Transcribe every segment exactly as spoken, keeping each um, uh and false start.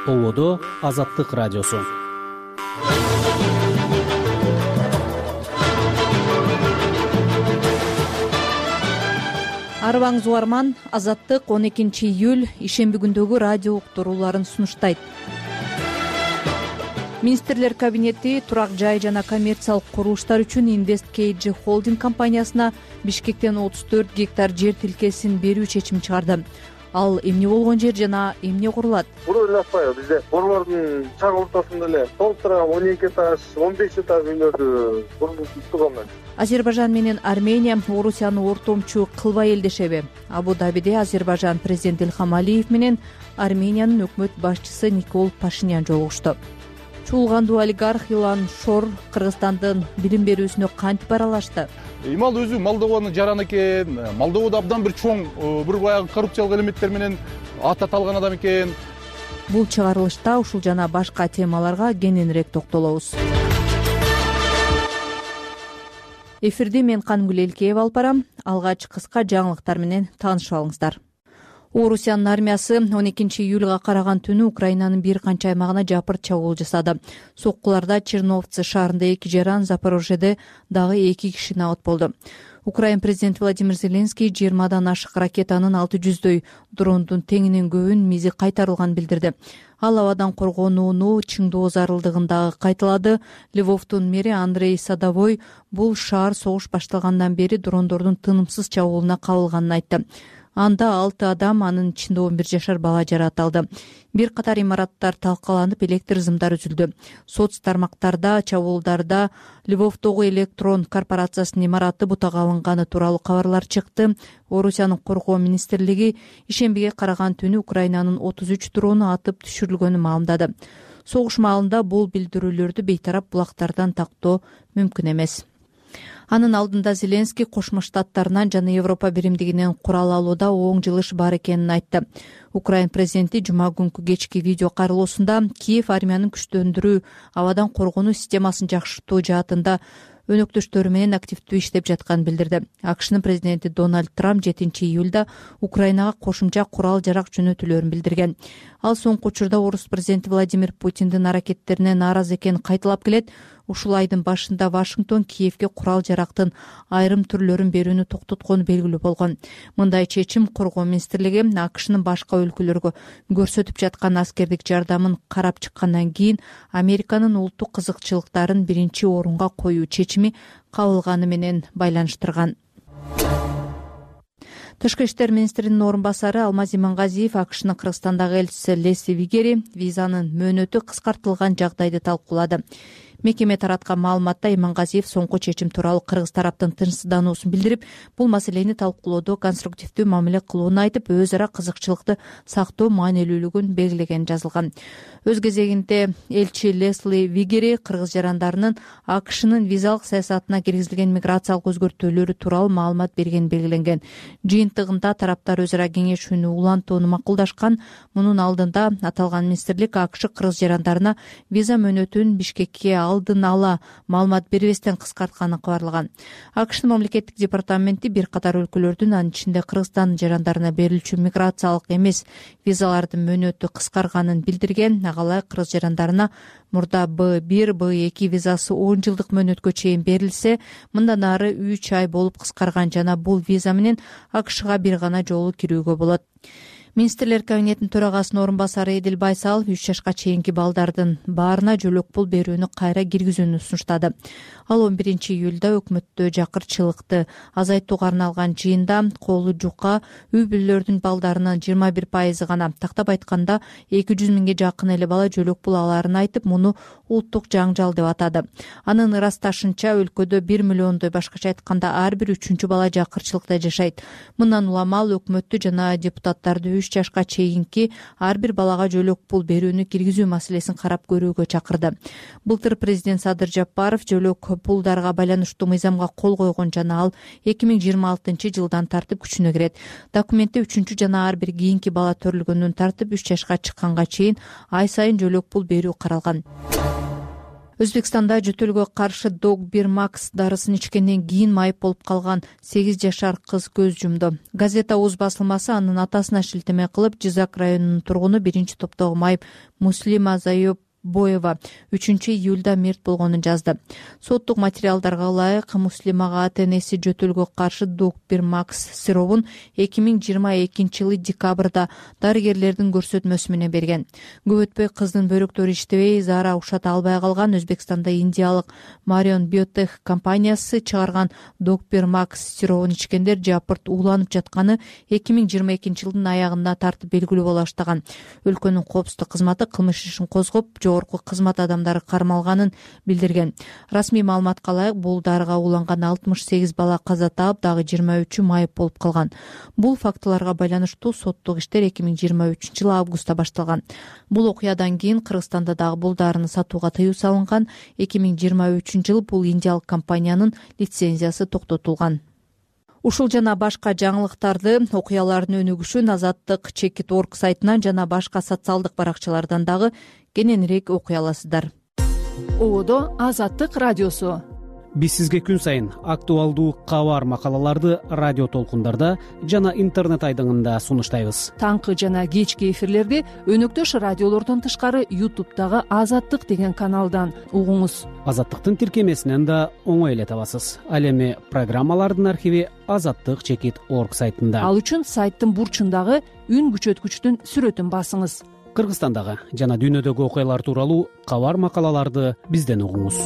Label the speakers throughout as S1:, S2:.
S1: Ободо Азаттык радиосу.
S2: Арыбаңыз угарман, Азаттык он экинчи июль ишемби күндөгү радио уктурууларын сунуштайт. Министрлер кабинети турак жай жана коммерциялык курулуштар үчүн InvestKG холдинг компаниясына Бишкектен отуз төрт гектар жер тилкесин берүү чечимин чыгарды. Ал эмне болгон жер жана эмне курулат?
S3: Буну эле атпайбы, бизде борлордун чак ортосунда эле толтура он эки этаж, он беш этаж үйлөрдү курулуштурган.
S2: Азербайжан менен Армения Орусияны ортомчу кылбай элдешеби? Абу-Дабиде Азербайжан президенти Илхам Алиев менен Армениянын өкмөт башчысы Никол Пашинян жолугушту. Чуулгандуу олигарх Илан Шор Кыргызстандын билим берүүсүнө кантип аралашты?
S4: Имал өзү Молдованын жараны экен. Молдовада абдан бир чоң, бир баягы коррупциялык элементтер менен ат аталган адам экен.
S2: Бул чыгарылышта ушул жана башка темаларга кененирээк токтолобуз. Эфирди мен Канымгүл Элкеева алып барам. Алгач кыска жаңылыктар менен таанышып алыңыздар. Орусиянын армиясы он экинчи июлга караган түнү Украинанын бир канча аймагына жапырт чабуул жасады. Соккуларда Черновцы шаарында эки жаран, Запорожьеде дагы эки киши набат болду. Украин президенти Владимир Зеленский жыйырмадан ашык ракетанын алты жүздөй дрондун теңинен көбүн мизи кайтарылганын билдирди. Ал абадан коргонууну чыңдоо зарылдыгын кайталады. Львовдун мэри Андрей Садовой бул шаар согуш башталгандан бери дрондордун тынымсыз чабуулуна кабылганын айтты. Анда алты адам, анын ичинде он бир жашар бала жаратылды. Бир катар имараттар талкаланып, электр зымдар үзүлдү. Соц тармактарда чабуулдарда Львовдогу электрон корпорациясынын имараты бутага алынганы тууралуу кабарлар чыкты. Орусиянын коргоо министрлиги ишембиге караган түнү Украинанын отуз үч дрону атып түшүрүлгөнүн маалымдады. Согуш маалында бул билдирүүлөрдү бейтарап булактардан тактоо мүмкүн эмес. Анын алдында Зеленский Кошмо Штаттарынан жана Европа биримдигинен курал алууда оң жылыш бар экенин айтты. Украин президенти жума күнкү кечки видео кайрылуусунда Киев армиянын күчтөндүрүү, абадан коргонуу системасын жакшыртуу жаатында өнөктөштөрү менен активдүү иштеп жатканын билдирди. АКШнын президенти Дональд Трамп жетинчи июлда Украинага кошумча курал жарак жөнөтүүлөрүн билдирген. Ал соңку учурда орус президенти Владимир Путиндин аракеттерине нааразы экенин кайталап келет. Ушул айдын башында Вашингтон Киевге курал жарактын айрым түрлөрүн берүүнү токтоткону белгилүү болгон. Мындай чечим коргоо министрлиги АКШнын башка өлкөлөргө көрсөтүп жаткан аскердик жардамын карап чыккандан кийин Американын улуттук кызыкчылыктарын биринчи орунга коюу чечими кабылганы менен байланыштырган. Тышкы иштер министринин орун басары Алмаз Имангазиев АКШнын Кыргызстандагы элчиси Лесли Вигери визанын мөөнөтү кыскартылган жагдайды талкуулады. Мекеме тараткан маалыматта Имангазиев соңку чечим тууралуу кыргыз тараптын тынчсыздануусун билдирип, бул маселени талкуулоодо конструктивдүү мамиле кылууну айтып, өз ара кызыкчылыкты сактоо маанилүүлүгүн белгилегени жазылган. Өз кезегинде элчи Лесли Вигери кыргыз жарандарынын АКШнын визалык саясатына киргизилген миграциялык өзгөртүүлөрү тууралуу маалымат бергени белгиленген. Жыйынтыгында тараптар өз ара кеңешүүнү улантууну макулдашкан. Мунун алдында аталган министрлик АКШ кыргыз жарандарына виза мөөнөтүн Бишкекке алдын ала маалымат бербестен кыскартканын кабарлаган. АКШнын мамлекеттик департаменти бир катар өлкөлөрдүн, анын ичинде Кыргызстандын жарандарына берилчү миграциялык эмес визалардын мөөнөтү кыскарганын билдирген. Агалай кыргыз жарандарына мурда Б бир, Б эки визасы он жылдык мөөнөткө чейин берилсе, мындан ары үч ай болуп кыскарган жана бул виза менен АКШга бир гана жолу кирүүгө болот. Министрлер кабинетинин төрагасынын орун басары Эдил Байсалов үч жашка чейинки балдардын баарына жөлөк пул берүүнү кайра киргизүүнү сунуштады. Ал он биринчи июлда өкмөттө жакырчылыкты азайтууга арналган жыйында колу жука үй бүлөлөрдүн балдарынын жыйырма бир пайызы гана, тактап айтканда эки жүз миңге жакын эле бала жөлөк пул алаарын айтып, муну улуттук жаңжал деп атады. Анын ырасташынча өлкөдө бир миллиондой, башкача айтканда ар бир үчүнчү бала жакырчылыкта жашайт. Мындан улам ал өкмөттү жана депутаттарды үч жашка чейинки ар бир балага жөлөк пул берүүнү киргизүү маселесин карап көрүүгө чакырды. Былтыр президент Садыр Жапаров жөлөк пулдарга байланыштуу мыйзамга кол койгон жана ал эки миң жыйырма алтынчы жылдан тартып күчүнө кирет. Документте үчүнчү жана ар бир кийинки бала төрөлгөндөн тартып үч жашка чыкканга чейин ай сайын жөлөк пул берүү каралган. Өзбекстанда жөтөлгө каршы дог бир макс дарысын ичкенден кийин майып болуп калган сегиз жашар кыз көз жумду. Газета Уз басылмасы анын атасына шилтеме кылып, Жизак районунун тургуну биринчи топтогу майып Муслима Заюп Боева үчүнчү июлда мерт болгонун жазды. Соттук материалдарга ылайык, Муслимага ата-энеси жөтөлгө каршы дог бир макс сиробун эки миң жыйырма экинчи жылы декабрда дарыгерлердин көрсөтмөсү менен берген. Көп өтпөй кыздын бөйрөктөрү иштебей, заара ушата албай калган. Өзбекстанда индиялык Marion Biotech компаниясы чыгарган дог бир макс сиробун ичкендер жапырт ууланып жатканы эки миң жыйырма экинчи жылдын аягында тартып белгилүү боло баштаган. Өлкөнүн коопсуздук кызматы кылмыш ишин козгоп, жогорку кызмат адамдары кармалганын билдирген. Расмий маалыматка ылайык, бул дарыга ууланган алтымыш сегиз бала каза таап, дагы жыйырма үчү майып болуп калган. Бул фактыларга байланыштуу соттук иштер эки миң жыйырма үчүнчү жылы августта башталган. Бул окуядан кийин Кыргызстанда дагы бул дарыны сатууга тыюу салынган. эки миң жыйырма үчүнчү жылы бул индиялык компаниянын лицензиясы токтотулган. Ушул жана башка жаңылыктарды, окуялардын өнүгүшүн Азаттык чекит точка орг сайтынан жана башка социалдык баракчалардан дагы кененирээк окуй аласыздар.
S5: Ободо Азаттык радиосу.
S1: Биз сизге күн сайын актуалдуу кабар макалаларды радио толкундарда жана интернет айдыңында сунуштайбыз.
S5: Таңкы жана кечки эфирлерди өнөктөш радиолордон тышкары ютубтагы Азаттык деген каналдан угуңуз.
S1: Азаттыктын тиркемесинен да оңой эле табасыз. Ал эми программалардын архиви Азаттык чекит точка орг сайтында.
S5: Ал үчүн сайттын бурчундагы үн күчөткүчтүн сүрөтүн басыңыз.
S1: Кыргызстандагы жана дүйнөдөгү окуялар тууралуу кабар макалаларды бизден угуңуз.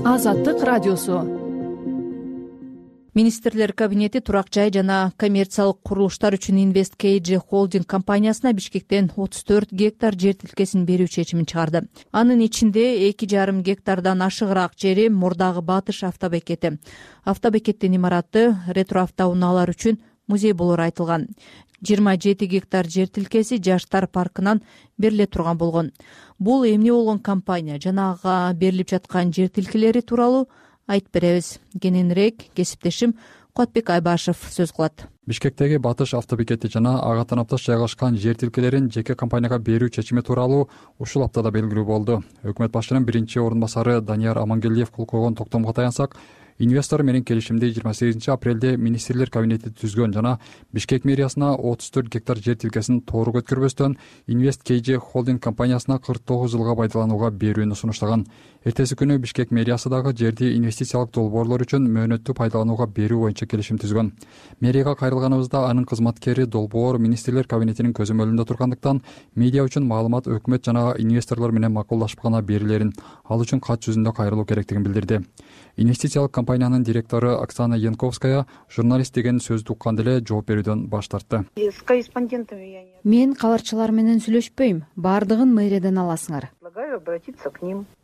S5: Азаттык радиосу.
S2: Министрлер кабинети турак жай жана коммерциялык курулуштар үчүн Invest кей джи Holding компаниясына Бишкектен отуз төрт гектар жер тилкесин берүү чечимин чыгарды. Анын ичинде эки жарым гектардан ашыгыраак жери Мурдагы Батыш автобекети. Автобекеттин имараты ретроавтоунаалар үчүн музей болору айтылган. жыйырма жети гектар жер тилкеси жаштар паркынан бериле турган болгон. Бул эмне болгон компания жана ага берилип жаткан жер тилкелери тууралуу айтып беребиз. Кененирээк кесиптешим Куатбек Айбашев сөз кылат.
S6: Бишкектеги Батыш автобекети жана ага танапташ жайгашкан жер тилкелерин жеке компанияга берүү чечими тууралуу ушул аптада белгилүү болду. Өкмөт башчынын биринчи орун басары Данияр Амангелдиев кол койгон токтомго таянсак, инвестор менен келишимди жыйырма сегизинчи апрелде министрлер кабинети түзгөн жана Бишкек мэриясына отуз төрт гектар жер тилкесин тоору өткөрбөстөн Invest кей джи Holding компаниясына кырк тогуз жылга пайдаланууга берүүнү сунуштаган. Эртеси күнү Бишкек мэриясы дагы жерди инвестициялык долбоорлор үчүн мөөнөттүү пайдаланууга берүү боюнча келишим түзгөн. Мэрияга кайрылганыбызда анын кызматкери долбоор министрлер кабинетинин көзөмөлүндө тургандыктан медиа үчүн маалымат өкмөт жана инвесторлор менен макулдашып гана берилерин, ал үчүн кат жүзүндө кайрылуу керектигин билдирди. Инвестициялык компаниянын директору Оксана Янковская журналист деген сөздү уккан деле жооп берүүдөн баш тартты.
S7: Мен кабарчылар менен сүйлөшпөйм, баардыгын мэриядан аласыңар.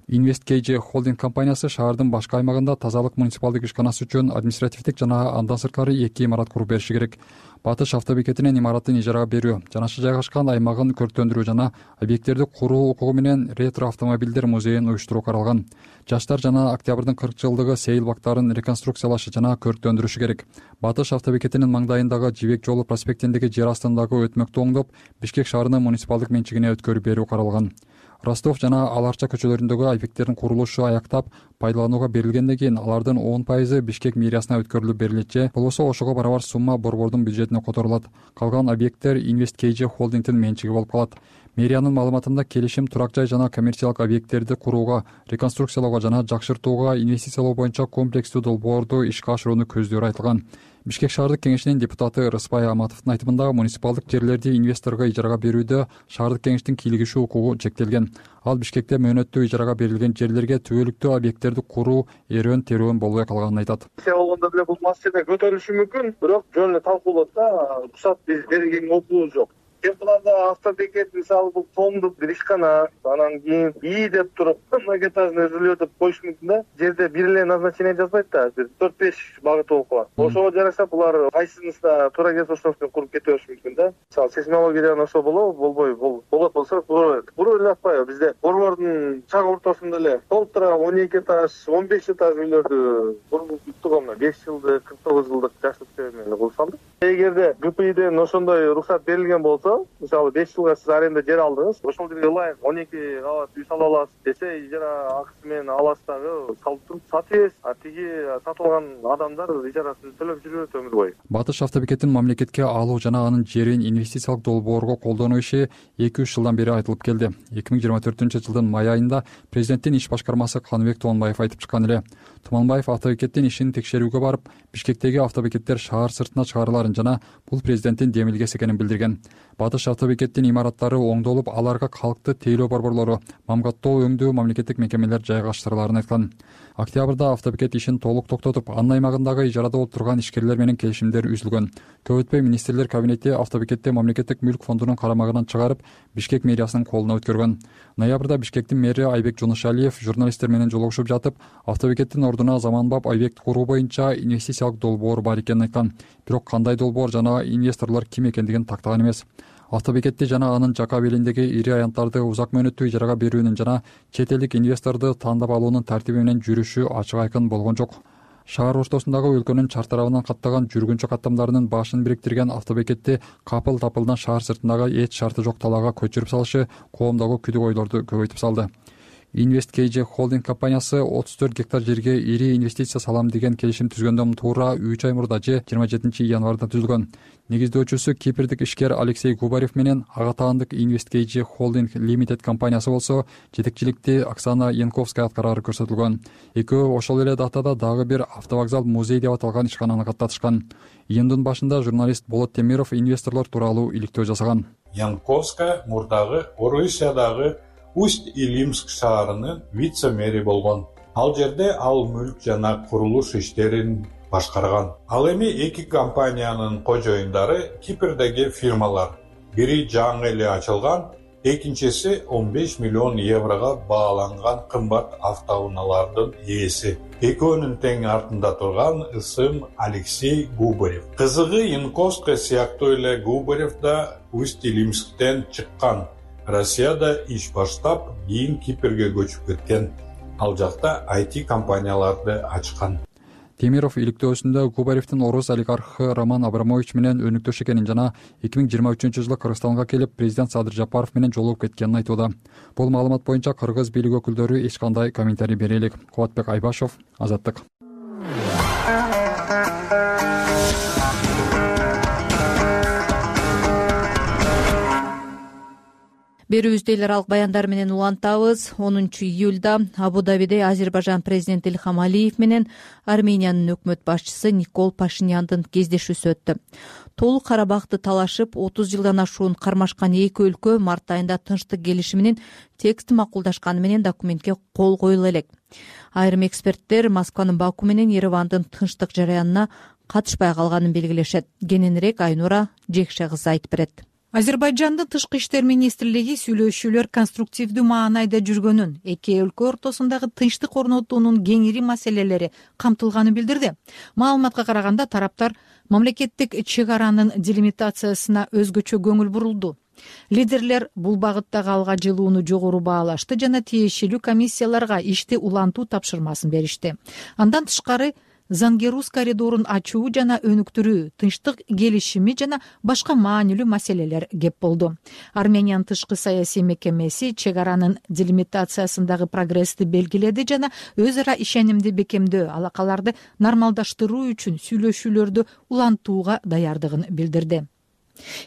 S6: Invest кей джи Holding компаниясы шаардын башка аймагында тазалык муниципалдык ишканасы үчүн административдик жана андан сырткары эки имарат куруп бериши керек. Батыш автобекетинин имаратын ижарага берүү, жанашы жайгашкан аймагын көрктөндүрүү жана объекттерди куруу укугу менен ретро автомобилдер музейин уюштуруу каралган. Жаштар жана октябрдын кырк жылдыгы сейил бактарын реконструкциялашы жана көрктөндүрүшү керек. Батыш автобекетинин маңдайындагы Жибек жолу проспектиндеги жер астындагы өтмөктү оңдоп, Бишкек шаарынын муниципалдык менчигине өткөрүп берүү каралган. Ростов жана Аларча көчөлөрүндөгү объекттердин курулушу аяктап, пайдаланууга берилгенден кийин алардын он пайызы Бишкек мэриясына өткөрүлүп берилет же болбосо ошого барабар сумма борбордун бюджетине которулат. Калган объекттер Invest кей джи Holding'дин менчиги болуп калат. Мэриянын маалыматында келишим турак жай жана коммерциялык объекттерди курууга, реконструкциялоого жана жакшыртууга инвестициялоо боюнча комплекстүү долбоорду ишке ашырууну көздөрү айтылган. Бишкек шаардык кеңешинин депутаты Рыспай Аматовдун айтымында муниципалдык жерлерди инвесторго ижарага берүүдө шаардык кеңештин кийлигишүү укугу чектелген. Ал Бишкекте мөөнөттүү ижарага берилген жерлерге түбөлүктүү объекттерди куруу эрүүн терүүн болбой калганын айтат.
S3: Болгондо деле бул маселе көтөрүлүшү мүмкүн, бирок жөн эле талкуулоот да, уруксат биз берген окуубуз жок. Кем планда автобекет мисалы бул томдук бир ишкана, анан кийин ии деп туруп многоэтажный жилье деп коюш мүмкүн да. Жерде бир эле назначение жазбайт да, бир төрт беш багыты болуп калат. Ошого жараша булар кайсысына туура келсе ошону куруп кете бериши мүмкүн да. Мисалы сейсмологиядан ошо болобу, болбойбу, бул болот болсо куруп эле атпайбы. Бизде борбордун чак ортосунда эле толтура он эки этаж, он беш этаж үйлөрдү куруп туткан беш жылдык, кырк тогуз жылдык жаштык менен куруп салдык. Эгерде ГПИден ошондой уруксат берилген болсо, болсо, мисалы беш жылга сиз аренда жер алдыңыз, ошол жерге ылайык он эки кабат үй сала аласыз десе, ижара акысы менен аласыз дагы салып туруп сатып бересиз, а тиги сатылган адамдар ижарасын төлөп жүрөт өмүр бою.
S6: Батыш автобекетин мамлекетке алуу жана анын жерин инвестициялык долбоорго колдонуу иши эки үч жылдан бери айтылып келди. эки миң жыйырма төртүнчү жылдын май айында президенттин иш башкармасы Каныбек Туманбаев айтып чыккан эле. Туманбаев автобекеттин ишин текшерүүгө барып, Бишкектеги автобекеттер шаар сыртына чыгарыларын жана бул президенттин демилгеси экенин билдирген. Батыш автобекеттин имараттары оңдолуп, аларга калкты тейлөө борборлору, мамгаттоо өңдөө мамлекеттик мекемелер жайгаштырыларын айткан. Октябрда автобекет ишин толук токтотуп, анын аймагындагы ижарада отурган ишкерлер менен келишимдер үзүлгөн. Көп өтпөй министрлер кабинети автобекетти мамлекеттик мүлк фондунун карамагынан чыгарып, Бишкек мэриясынын колуна өткөргөн. Ноябрда Бишкектин мэри Айбек Жунушалиев журналисттер менен жолугушуп жатып, автобекеттин ордуна заманбап объект куруу боюнча инвестициялык долбоор бар экенин айткан. Бирок кандай долбоор жана инвесторлор ким экендигин тактаган эмес. Автобекетти жана анын жака белиндеги ири аянттарды узак мөөнөттүү ижарага берүүнүн жана чет элдик инвесторду тандап алуунун тартиби менен жүрүшү ачык айкын болгон жок. Шаар ортосундагы өлкөнүн чар тарабынан каттаган жүргүнчү каттамдарынын башын бириктирген автобекетти капыл-тапылдан шаар сыртындагы эч шарты жок талаага көчүрүп салышы коомдогу күдүк ойлорду көбөйтүп салды. Invest кей джи холдинг компаниясы отуз төрт гектар жерге ири инвестиция салам деген келишим түзгөндөн туура үч ай мурда же жыйырма жетинчи январда түзүлгөн. Негиздөөчүсү кипрдик ишкер Алексей Губарев менен ага таандык Invest кей джи холдинг лимитед компаниясы болсо жетекчиликти Оксана Янковская аткарары көрсөтүлгөн. Экөө ошол эле датада дагы бир автовокзал музей деп аталган ишкананы каттатышкан. Июндун башында журналист Болот Темиров инвесторлор тууралуу иликтөө жасаган.
S8: Янковская мурдагы Орусиядагы Усть-Илимск шаарынын вице-мэри болгон. Ал жерде ал мүлк жана курулуш иштерин башкарган. Ал эми эки компаниянын кожоюндары Кипрдеги фирмалар. Бири жаңы эле ачылган, экинчиси он беш миллион еврого бааланган кымбат автоунаалардын ээси. Экөөнүн тең артында турган ысым Алексей Губарев. Кызыгы Янковская сыяктуу эле Губарев да Усть-Илимсктен чыккан. Россияда иш баштап, кийин Кипрге көчүп кеткен. Ал жакта ай ти компанияларды ачкан.
S6: Темиров иликтөөсүндө Губаревдин орус олигархы Роман Абрамович менен өнүктөш экенин жана эки миң жыйырма үчүнчү жылы Кыргызстанга келип, президент Садыр Жапаров менен жолугуп кеткенин айтууда. Бул маалымат боюнча кыргыз бийлик өкүлдөрү эч кандай комментарий бере элек. Кубатбек Айбашов, Азаттык.
S2: Берүүбүздү эл аралык баяндар менен улантабыз. онунчу июлда Абу-Дабиде Азербайжан президенти Илхам Алиев менен Армениянын өкмөт башчысы Никол Пашиняндын кездешүүсү өттү. Толук Карабахты талашып отуз жылдан ашуун кармашкан эки өлкө март айында тынчтык келишиминин текстин макулдашканы менен документке кол коюла элек. Айрым эксперттер Москванын Баку менен Еревандын тынчтык жараянына катышпай калганын белгилешет. Кененирээк Айнура Жекше кызы айтып берет.
S9: Азербайжандын тышкы иштер министрлиги сүйлөшүүлөр конструктивдүү маанайда жүргөнүн, эки өлкө ортосундагы тынчтык орнотуунун кеңири маселелери камтылганын билдирди. Маалыматка караганда тараптар мамлекеттик чек аранын делимитациясына өзгөчө көңүл бурулду. Лидерлер бул багыттагы алга жылууну жогору баалашты жана тиешелүү комиссияларга ишти улантуу тапшырмасын беришти. Андан тышкары Зангерус коридорун ачуу жана өнүктүрүү, тынчтык келишими жана башка маанилүү маселелер кеп болду. Армениянын тышкы саясий мекемеси чек аранын делимитациясындагы прогрессти белгиледи жана өз ара ишенимди бекемдөө, алакаларды нормалдаштыруу үчүн сүйлөшүүлөрдү улантууга даярдыгын билдирди.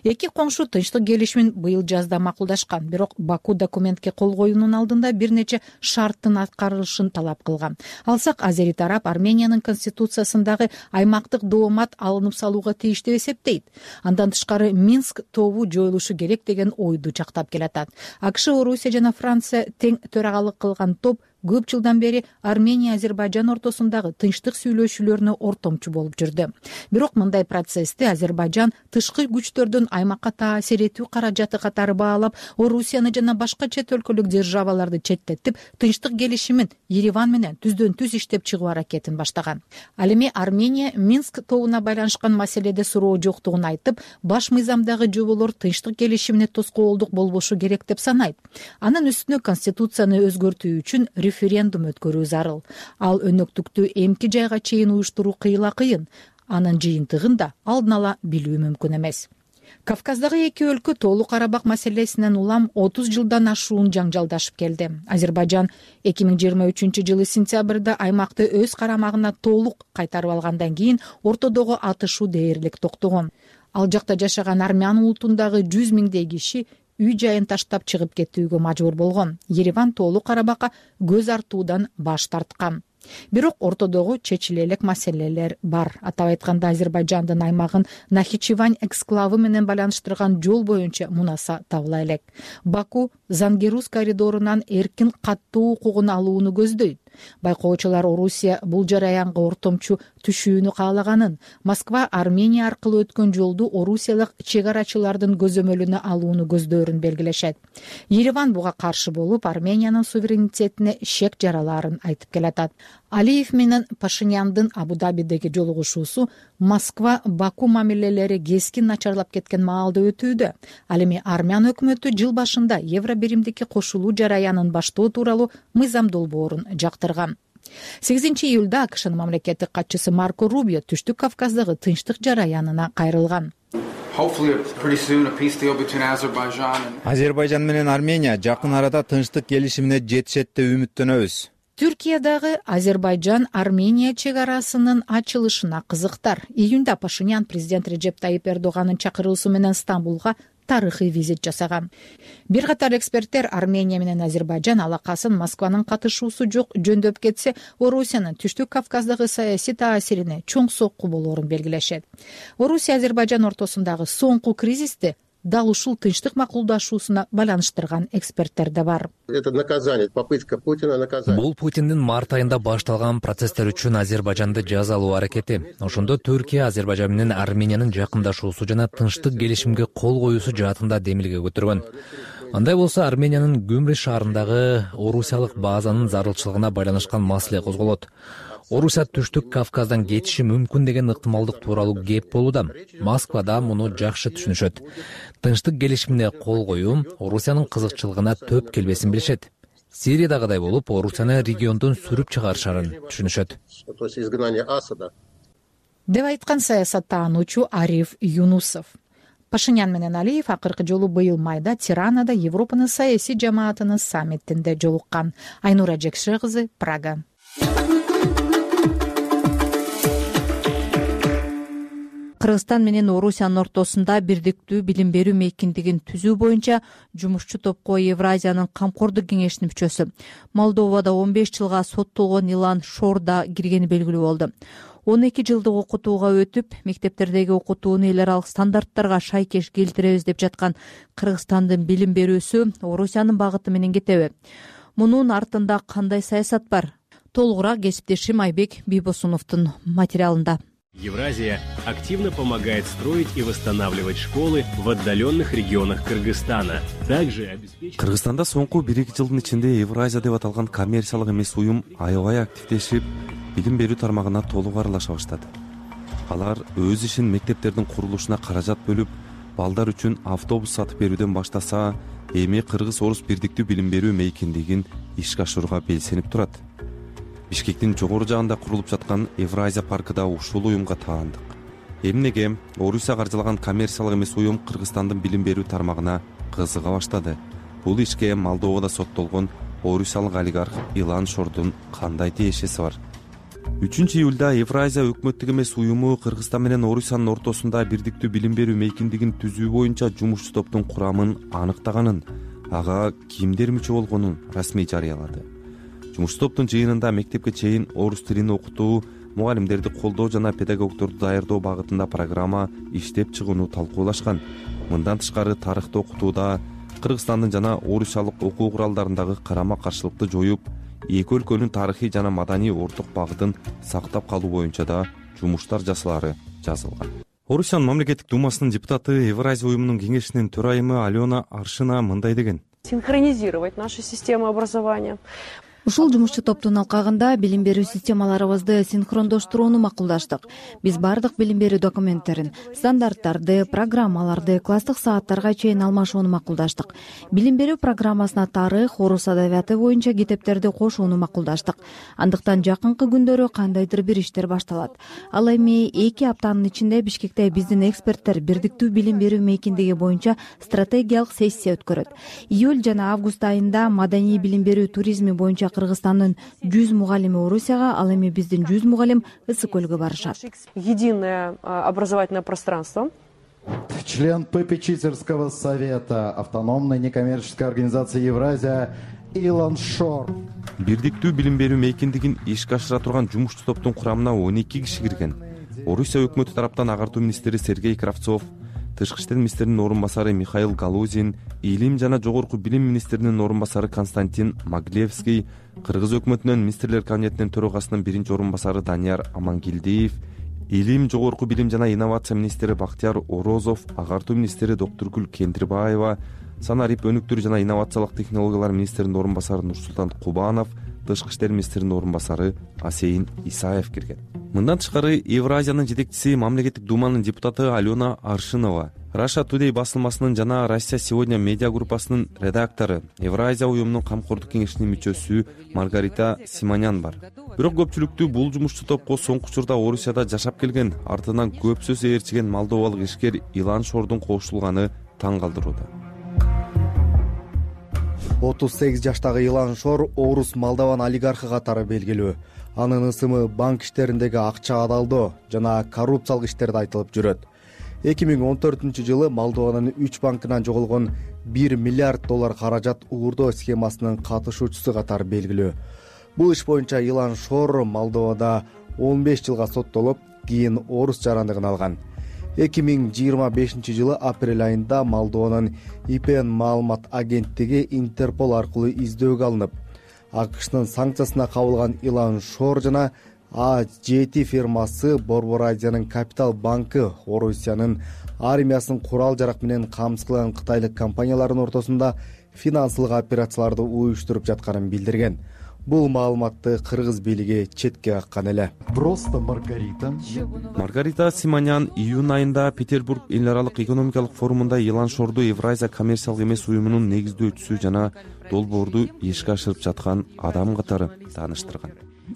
S9: Эки коңшу тынчтык келишимин быйыл жазда макулдашкан, бирок Баку документке кол коюунун алдында бир нече шарттын аткарылышын талап кылган. Алсак, азери тарап Армениянын конституциясындагы аймактык доомат алынып салууга тийиш деп эсептейт. Андан тышкары Минск тобу жоюлушу керек деген ойду чактап келатат. АКШ, Орусия жана Франция тең төрагалык кылган топ көп жылдан бери Армения Азербайжан ортосундагы тынчтык сүйлөшүүлөрүнө ортомчу болуп жүрдү. Бирок мындай процессти Азербайжан тышкы күчтөрдүн аймакка таасир этүү каражаты катары баалап, Орусияны жана башка чет өлкөлүк державаларды четтетип, тынчтык келишимин Ереван менен түздөн түз иштеп чыгуу аракетин баштаган. Ал эми Армения Минск тобуна байланышкан маселеде суроо жоктугун айтып, баш мыйзамдагы жоболор тынчтык келишимине тоскоолдук болбошу керек деп санайт. Анын үстүнө конституцияны өзгөртүү үчүн референдум өткөрүү зарыл. Ал өнөктүктү эмки жайга чейин уюштуруу кыйла кыйын. Анын жыйынтыгын да алдын ала билүү мүмкүн эмес. Кавказдагы эки өлкө Тоолу Карабак маселесинен улам отуз жылдан ашуун жаңжалдашып келди. Азербайжан эки миң жыйырма үчүнчү жылы сентябрда аймакты өз карамагына толук кайтарып алгандан кийин ортодогу атышуу дээрлик токтогон. Ал жакта жашаган армян улутундагы жүз миңдей киши үй жайын таштап чыгып кетүүгө мажбур болгон. Ереван Тоолу Карабакка көз артуудан баш тарткан. Бирок ортодогу чечиле элек маселелер бар. Атап айтканда, Азербайжандын аймагын Нахичевань эксклавы менен байланыштырган жол боюнча мунаса табыла элек. Баку Зангерус коридорунан эркин каттоо укугун алууну көздөйт. Байкоочулар Орусия бул жараянга ортомчу түшүүнү каалаганын, Москва Армения аркылуу өткөн жолду орусиялык чек-арачылардын көзөмөлүнө алууну көздөрүн белгилешет. Ереван буга каршы болуп, Армениянын суверенитетине шек жараларын айтып келатат. Алиев менен Пашиняндын Абу-Дабидеги жолугушуусу Москва-Баку мамилелери кескин начарлап кеткен маалда өтүүдө. Ал эми армян өкмөтү жыл башында Евробиримдикке кошулуу жараянын баштоо тууралуу мыйзам долбоорун жактырган. сегизинчи июлда АКШнын мамлекеттик катчысы Марко Рубио Түштүк Кавказдагы тынчтык жараянына кайрылган.
S10: Азербайжан менен Армения жакын арада тынчтык келишимине жетишет деп үмүттөнөбүз.
S9: Түркиядагы Азербайжан-Армения чек арасынын ачылышына кызыктар. Июнда Пашинян президент Реджеп Тайип Эрдоганын чакыруусу менен Стамбулга тарыхый визит жасаган. Бир катар эксперттер Армения менен Азербайжан алакасын Москванын катышуусу жок жөндөп кетсе, Орусиянын Түштүк Кавказдагы саясий таасирине чоң сокку болоорун белгилешет. Орусия Азербайжан ортосундагы соңку кризисти дал ушул тынчтык макулдашуусуна байланыштырган эксперттер да бар.
S11: Это наказание, попытка Путина наказать.
S12: Бул Путиндин март айында башталган процесстер үчүн Азербайжанды жазалоо аракети. Ошондо Түркия Азербайжан менен Армениянын жакындашуусу жана тынчтык келишимге кол коюусу жаатында демилге көтөргөн. Андай болсо Армениянын Гюмри шаарындагы орусиялык базанын зарылчылыгына байланышкан маселе козголот. Орусия Түштүк Кавказдан кетиши мүмкүн деген ыктымалдык тууралуу кеп болууда. Москвада муну жакшы түшүнүшөт. Тынчтык келишимине кол коюу Орусиянын кызыкчылыгына төп келбесин билишет. Сириядагыдай болуп, Орусияны региондон сүрүп чыгарышарын түшүнүшөт.
S9: Деп айткан саясаттануучу Ариф Юнусов. Пашинян менен Алиев акыркы жолу быйыл майда Тиранада Европанын саясий жамаатынын саммитинде жолуккан. Айнура Жекше кызы, Прага.
S2: Кыргызстан менен Орусиянын ортосунда бирдиктүү билим берүү мейкиндигин түзүү боюнча жумушчу топко Евразиянын камкордук кеңешинин мүчөсү Молдовада он беш жылга соттолгон Илан Шорда киргени белгилүү болду. он эки жылдык окутууга өтүп, мектептердеги окутууну эл аралык стандарттарга шайкеш келтиребиз деп жаткан Кыргызстандын билим берүүсү Орусиянын багыты менен кетеби? Мунун артында кандай саясат бар? Толугураак кесиптешим Айбек Бийбосуновдун материалында.
S13: Евразия активно помогает строить и восстанавливать школы в отдаленных регионах Кыргызстана. Также обеспечивает...
S14: Кыргызстанда соңку бир-эки жылдын ичинде Евразия деп аталган коммерциялык эмес уюм аябай активдешип, билим берүү тармагына толук аралаша баштады. Алар өз ишин мектептердин курулушуна каражат бөлүп, балдар үчүн автобус сатып берүүдөн баштаса, эми кыргыз-орус бирдиктүү билим берүү мейкиндигин ишке ашырууга белсенип турат. Бишкектин жогору жагында курулуп жаткан Евразия паркыда ушул уюмга таандык. Эмнеге Орусия каржылаган коммерциялык эмес уюм Кыргызстандын билим берүү тармагына кызыга баштады? Бул ишке Молдовада соттолгон орусиялык олигарх Илан Шордун кандай тиешеси бар? үчүнчү июлда Евразия өкмөттүк эмес уюму Кыргызстан менен Орусиянын ортосунда бирдиктүү билим берүү мейкиндигин түзүү боюнча жумушчу топтун курамын аныктаганын, ага кимдер мүчө болгонун расмий жарыялады. Жумушчу топтун жыйынында мектепке чейин орус тилин окутуу, мугалимдерди колдоо жана педагогдорду даярдоо багытында программа иштеп чыгууну талкуулашкан. Мындан тышкары тарыхты окутууда Кыргызстандын жана орусиялык окуу куралдарындагы карама-каршылыкты жоюп, эки өлкөнүн тарыхый жана маданий орток багытын сактап калуу боюнча да жумуштар жасалары жазылган. Орусиянын мамлекеттик думасынын депутаты, Евразия уюмунун кеңешинин төрайымы Алена Аршина мындай деген:
S15: Синхронизировать нашу систему образования.
S7: ушул жумушчу топтун алкагында билим берүү системаларыбызды синхрондоштурууну макулдаштык. Биз бардык билим берүү документтерин, стандарттарды, программаларды, класстык сааттарга чейин алмашууну макулдаштык. Билим берүү программасына тарых, орус адабияты боюнча китептерди кошууну макулдаштык. Андыктан жакынкы күндөрү кандайдыр бир иштер башталат. Ал эми эки аптанын ичинде Бишкекте биздин эксперттер бирдиктүү билим берүү мейкиндиги боюнча стратегиялык сессия өткөрөт. Июль жана август айында маданий билим берүү туризми боюнча Кыргызстандын жүз мугалими Орусияга, ал эми биздин жүз мугалим Ысык көлгө барышат.
S15: Единое образовательное пространство.
S16: Член попечительского совета автономной некоммерческой организации Евразия Илон Шор.
S14: Бирдиктүү билим берүү мейкиндигин ишке ашыра турган жумушчу топтун курамына он эки киши кирген. Орусия өкмөтү тараптан агартуу министри Сергей Кравцов, Тышкы иштер министринин орун басары Михаил Галузин, Илим жана жогорку билим министринин орун басары Константин Маглевский, Кыргыз өкмөтүнүн министрлер кабинетинин төрагасынын биринчи орун басары Данияр Амангелдиев, Илим жогорку билим жана инновация министри Бактияр Орозов, агартуу министри Доктургүл Кендирбаева, санарип өнүктүрүү жана инновациялык технологиялар министринин орун басары Нурсултан Кубанов, Тышкы иштер министринин орун басары Асейин Исаев кирген. Мындан тышкары Евразиянын жетекчиси мамлекеттик думанын депутаты Алена Аршинова, Russia Today басылмасынын жана Россия сегодня медиа группасынын редактору, Евразия уюмунун камкордук кеңешинин мүчөсү Маргарита Симонян бар. Бирок көпчүлүктү бул жумушчу топко соңку учурда Орусияда жашап келген, артынан көп сөз ээрчиген молдовалык ишкер Илан Шордун кошулганы таң калтырууда.
S10: отуз сегиз жаштагы Илан Шор орус Молдован олигархы катары белгилүү. Анын ысымы банк иштериндеги акча адалдоо жана коррупциялык иштерде айтылып жүрөт. эки миң он төртүнчү жылы Молдованын үч банкынан жоголгон бир миллиард доллар каражат уурдоо схемасынын катышуучусу катары белгилүү. Бул иш боюнча Илан Шор Молдовада он беш жылга соттолуп, кийин орус жарандыгын алган. эки миң жыйырма бешинчи жылы апрель айында Молдованын И П Н маалымат агенттиги Интерпол аркылуу издөөгө алынып, АКШнын санкциясына кабылган Илан Шор жана А жети фирмасы Борбор Азиянын Капитал банкы Орусиянын армиясын курал жарак менен камсызлаган кытайлык компаниялардын ортосунда финансылык операцияларды уюштуруп жатканын билдирген. Бул маалыматты кыргыз бийлиги четке каккан эле.
S16: Просто Маргарита.
S14: Маргарита Симонян июнь айында Петербург эл аралык экономикалык форумунда Илан Шорду Евразия коммерциялык эмес уюмунун негиздөөчүсү жана долбоорду ишке ашырып жаткан адам катары тааныштырган.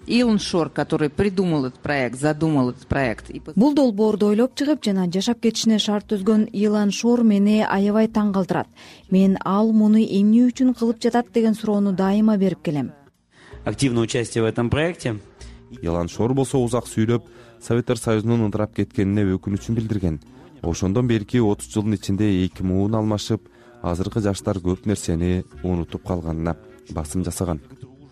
S17: Илон Шор, который придумал этот проект, задумал этот проект.
S7: Бул долбоорду ойлоп чыгып жана жашап кетишине шарт түзгөн Илан Шор мени аябай таң калтырат. Мен ал муну эмне үчүн кылып жатат деген суроону дайыма берип келем.
S18: Активное участие в этом проекте.
S14: Илан Шор болсо узак сүйлөп, Советтер Союзунун ыдырап кеткенине өкүнүчүн билдирген. Ошондон берки отуз жылдын ичинде эки муун алмашып, азыркы жаштар көп нерсени унутуп калганына басым жасаган.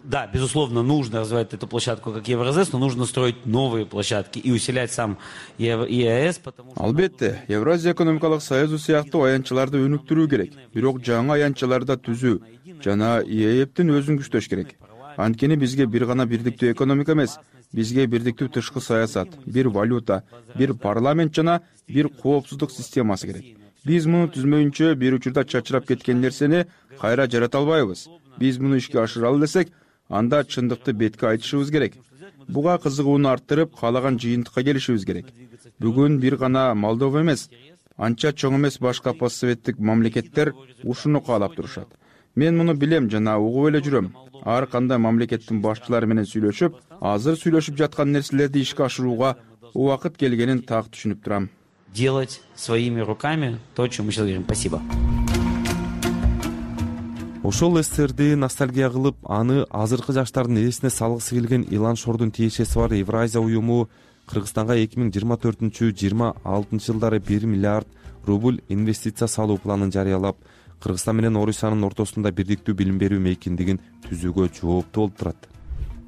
S18: Да, безусловно, нужно развивать эту площадку как Евразес, но нужно строить новые площадки и усилять сам И А С, потому что...
S19: Албетте, Евразия экономикалык союзу сыяктуу аянтчаларды өнүктүрүү керек. Бирок жаңы аянтчаларды түзүү жана И А Эптин өзүн күчтөш керек. Анткени бизге бир гана бирдиктүү экономика эмес, бизге бирдиктүү тышкы саясат, бир валюта, бир парламент жана бир коопсуздук системасы керек. Биз муну түзмөйүнчө бир учурда чачырап кеткен нерсени кайра жарата албайбыз. Биз муну ишке ашыралы десек, анда чындыкты бетке айтышыбыз керек. Буга кызыгууну арттырып, каалаган жыйынтыкка келишибиз керек. Бүгүн бир гана Молдова эмес, анча чоң эмес башка постсоветтик мамлекеттер ушуну каалап турушат. Мен муну билем жана угуп эле жүрөм. Ар кандай мамлекеттин башчылары менен сүйлөшүп, азыр сүйлөшүп жаткан нерселерди ишке ашырууга убакыт келгенин так түшүнүп турам.
S18: Делать своими руками то, о чем мы сейчас говорим. Спасибо.
S14: Ошол эстерди ностальгия кылып, аны азыркы жаштардын эсине салгысы келген Илан Шордун тиешеси бар Евразия уюму Кыргызстанга эки миң жыйырма төртүнчү жыйырма алтынчы жылдары бир миллиард рубль инвестиция салуу планын жарыялап, Кыргызстан менен Орусиянын ортосунда бирдиктүү билим берүү мейкиндигин түзүүгө жооптуу болуп турат.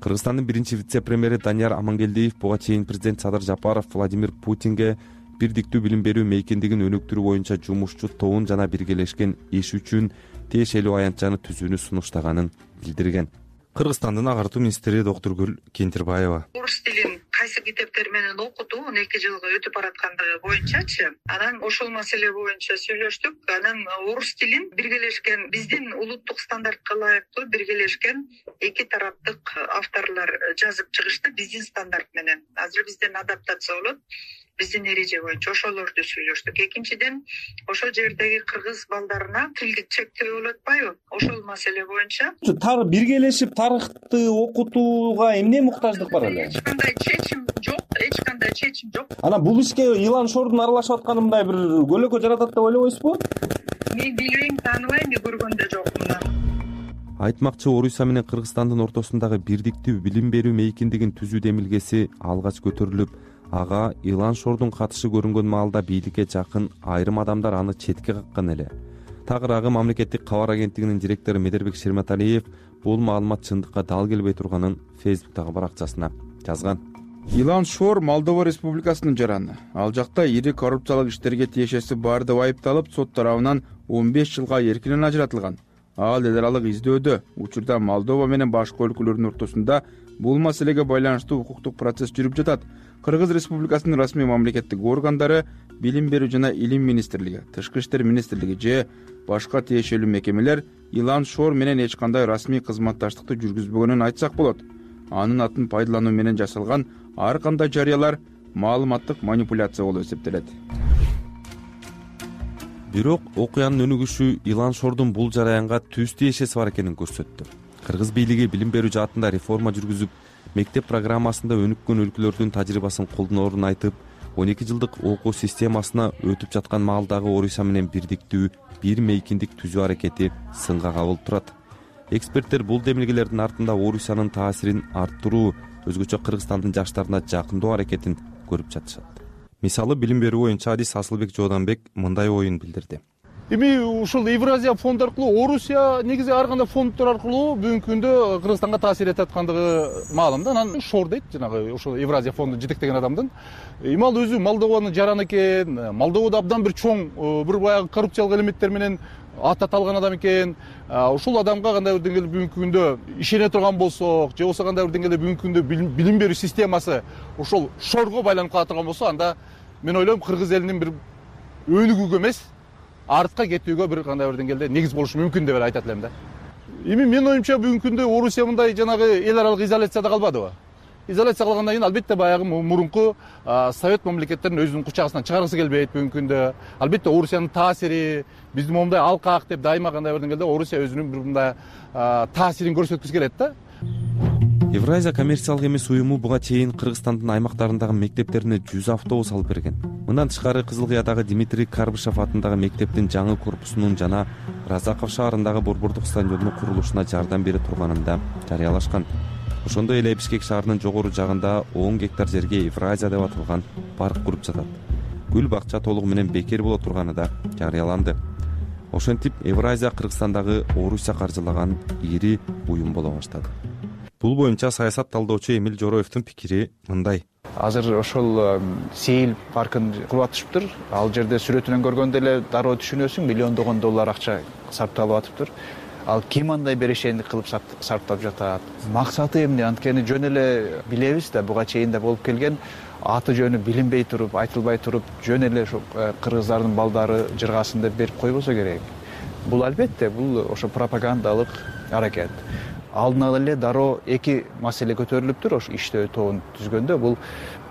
S14: Кыргызстандын биринчи вице-премьери Данияр Амангелдиев буга чейин президент Садыр Жапаров Владимир Путинге бирдиктүү билим берүү мейкиндигин өнүктүрүү боюнча жумушчу тобун жана биргелешкен иш үчүн тиешелүү аянтчаны түзүүнү сунуштаганын билдирген. Кыргызстандын агартуу министри Доктургүл Кендирбаева.
S20: Орус тилин кайсы китептер менен окутуу он эки жылга өтүп бараткандыгы боюнчачы анан ошол маселе боюнча сүйлөштүк. Анан орус тилин биргелешкен биздин улуттук стандартка ылайыктуу биргелешкен эки тараптык авторлор жазып чыгышты биздин стандарт менен. Азыр бизден адаптация болот. Биздин эреже боюнча ошолорду сүйлөштүк. Экинчиден, ошол жердеги кыргыз балдарына тилдик чектөө болуп атпайбы? Ошол маселе боюнча
S21: биргелешип тарыхты окутууга эмне муктаждык бар эле?
S20: Эч кандай чечим жок, эч кандай чечим жок.
S21: Анан бул ишке Илан Шордун аралашып атканы мындай бир көлөкө жаратат деп ойлобойсузбу?
S20: Мен билбейм, тааныбайм, көргөндө жокмун.
S14: Айтмакчы, Орусия менен Кыргызстандын ортосундагы бирдиктүү билим берүү мейкиндигин түзүү демилгеси алгач көтөрүлүп, ага Илан Шордун катышы көрүнгөн маалда бийликке жакын айрым адамдар аны четке каккан эле. Тагыраагы мамлекеттик кабар агенттигинин директору Медербек Шерматалиев бул маалымат чындыкка дал келбей турганын Фейсбуктагы баракчасына жазган.
S19: Илан Шор Молдова Республикасынын жараны. Ал жакта ири коррупциялык иштерге тиешеси бар деп айыпталып, сот тарабынан он беш жылга эркинен ажыратылган. Ал эл аралык издөөдө. Учурда Молдова менен башка өлкөлөрдүн ортосунда бул маселеге байланыштуу укуктук процесс жүрүп жатат. Кыргыз Республикасынын расмий мамлекеттик органдары, Билим берүү жана Илим министрлиги, Тышкы иштер министрлиги же башка тиешелүү мекемелер Илан Шор менен эч кандай расмий кызматташтыкты жүргүзбөгөнүн айтсак болот. Анын атын пайдалануу менен жасалган ар кандай жарыялар маалыматтык манипуляция болуп эсептелет.
S14: Бирок окуянын өнүгүшү Илан Шордун бул жараянга түз тиешеси бар экенин көрсөттү. Кыргыз бийлиги билим берүү жаатында реформа жүргүзүп, мектеп программасында өнүккөн өлкөлөрдүн тажрыйбасын колдоноорун айтып, он эки жылдык окуу системасына өтүп жаткан маалдагы Орусия менен бирдиктүү бир мейкиндик түзүү аракети сынга кабылып турат. Эксперттер бул демилгелердин артында Орусиянын таасирин арттыруу, өзгөчө Кыргызстандын жаштарына жакындоо аракетин көрүп жатышат. Мисалы, билим берүү боюнча адис Асылбек Жооданбек мындай оюн билдирди.
S4: Эми ушул Евразия фонду аркылуу Орусия негизи ар кандай фонддор аркылуу бүгүнкү күндө Кыргызстанга таасир этип аткандыгы маалым да. Анан Шор дейт, жанагы ошол Евразия фондун жетектеген адамдын. Эми ал өзү Молдованын жараны экен, Молдовада абдан бир чоң, бир баягы коррупциялык элементтер менен ат аталган адам экен. Ушул адамга кандай бир деңгээлде бүгүнкү күндө ишене турган болсок, же болбосо кандай бир деңгээлде бүгүнкү күндө билим берүү системасы ошол Шорго байланып кала турган болсо, анда мен ойлойм кыргыз элинин бир өнүгүүгө эмес, артка кетүүгө бир кандай бир деңгээлде негиз болушу мүмкүн деп айтат элем да. Эми менин оюмча бүгүнкү күндө Орусия мындай жанагы эл аралык изоляцияда калбадыбы? Изоляция кылгандан кийин албетте баягы мурунку совет мамлекеттерин өзүнүн кучагысынан чыгаргысы келбейт бүгүнкү күндө. Албетте Орусиянын таасири биздин момундай алкак деп дайыма кандай бир деңгээлде Орусия өзүнүн бир мындай таасирин көрсөткүсү келет да.
S14: Евразия коммерциялык эмес уюму буга чейин Кыргызстандын аймактарындагы мектептерине жүз автобус алып берген. Мындан тышкары Кызыл Кыядагы Дмитрий Карбышев атындагы мектептин жаңы корпусунун жана Разаков шаарындагы борбордук стадиондун курулушуна жардам бере турганын да жарыялашкан. Ошондой эле Бишкек шаарынын жогору жагында он гектар жерге Евразия деп аталган парк куруп жатат. Гүл бакча толугу менен бекер боло турганы да жарыяланды. Ошентип Евразия Кыргызстандагы Орусия каржылаган ири уюм боло баштады. Бул боюнча саясат талдоочу Эмил Жороевдун пикири мындай.
S22: Азыр ошол Сейил паркын куруп атышыптыр. Ал жерде сүрөтүнөн көргөндө эле дароо түшүнөсүң, миллиондогон доллар акча сарпталып атыптыр. Ал ким андай берешендик кылып сарптап жатат? Максаты эмне? Анткени жөн эле билебиз да, буга чейин да болуп келген. Аты жөнү билинбей туруп, айтылбай туруп, жөн эле ошо кыргыздардын балдары жыргасын деп берип койбосо керек. Бул албетте, бул ошо пропагандалык аракет. Алдын ала эле дароо эки маселе көтөрүлүптүр ошо иштөө тобун түзгөндө. Бул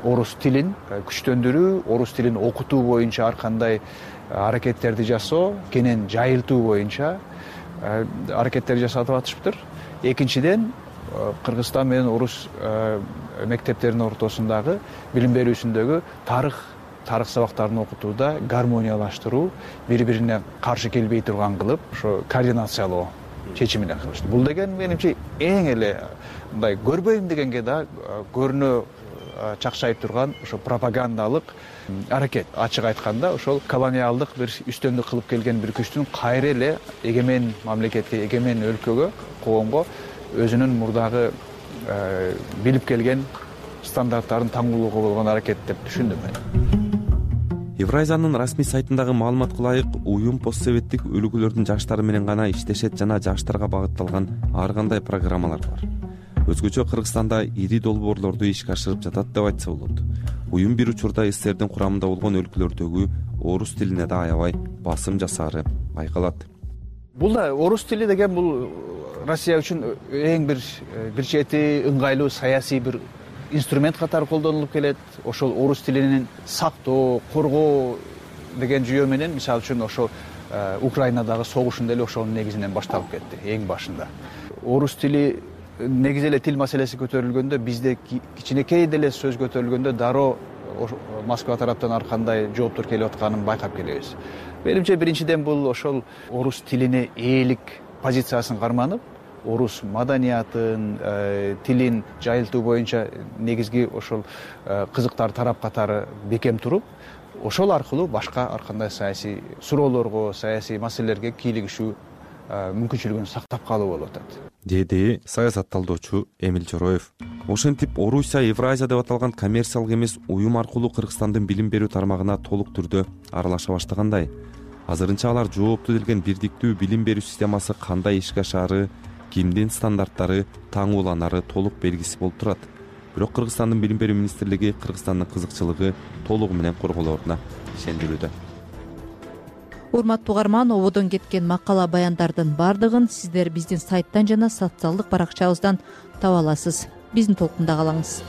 S22: орус тилин күчтөндүрүү, орус тилин окутуу боюнча ар кандай аракеттерди жасоо, кенен жайылтуу боюнча аракеттер жасатып атышыптыр. Экинчиден, Кыргызстан менен орус мектептеринин ортосундагы билим берүүсүндөгү тарых тарых сабактарын окутууда гармониялаштыруу, бири-бирине каршы келбей турган кылып, ошо координациялоо чечимине кылышты. Бул деген менимче эң эле мындай көрбөйм дегенге да көрүнө чакчайып турган ошо пропагандалык аракет. Ачык айтканда, ошол колониалдык бир үстөмдүк кылып келген бир күчтүн кайра эле эгемен мамлекетке, эгемен өлкөгө, коомго өзүнүн мурдагы билип келген стандарттарын таңуулоого болгон аракет деп түшүндүм мен.
S14: Евразиянын расмий сайтындагы маалыматка ылайык, уюм постсоветтик өлкөлөрдүн жаштары менен гана иштешет жана жаштарга багытталган ар кандай программалар бар. өзгөчө Кыргызстанда ири долбоорлорду ишке ашырып жатат деп айтса болот. Уюм бир учурда СССРдин курамында болгон өлкөлөрдөгү орус тилине да аябай басым жасаары байкалат.
S22: Бул да орус тили деген бул Россия үчүн эң бир бир чети ыңгайлуу саясий бир инструмент катары колдонулуп келет. Ошол орус тилинин сактоо, коргоо деген жүйө менен мисалы үчүн ошол Украинадагы согушун деле ошонун негизинен башталып кетти эң башында. Орус тили негизи эле тил маселеси көтөрүлгөндө, бизде кичинекей деле сөз көтөрүлгөндө дароо Москва тараптан ар кандай жооптор келип атканын байкап келебиз. Менимче биринчиден бул ошол орус тилине ээлик позициясын карманып, орус маданиятын, тилин жайылтуу боюнча негизги ошол кызыктар тарап катары бекем туруп, ошол аркылуу башка ар кандай саясий суроолорго, саясий маселелерге кийлигишүү мүмкүнчүлүгүн сактап калуу болуп атат,
S14: деди саясат талдоочу Эмил Чороев. Ошентип Орусия Евразия деп аталган коммерциялык эмес уюм аркылуу Кыргызстандын билим берүү тармагына толук түрдө аралаша баштагандай. Азырынча алар жоопту делген бирдиктүү билим берүү системасы кандай ишке ашаары, кимдин стандарттары таң уланары толук белгисиз болуп турат. Бирок Кыргызстандын билим берүү министрлиги Кыргызстандын кызыкчылыгы толугу менен корголооруна ишендирүүдө.
S2: Урматтуу угарман, ободон кеткен макала баяндардын бардыгын сиздер биздин сайттан жана социалдык баракчабыздан таба аласыз. Биздин толкунда калыңыз.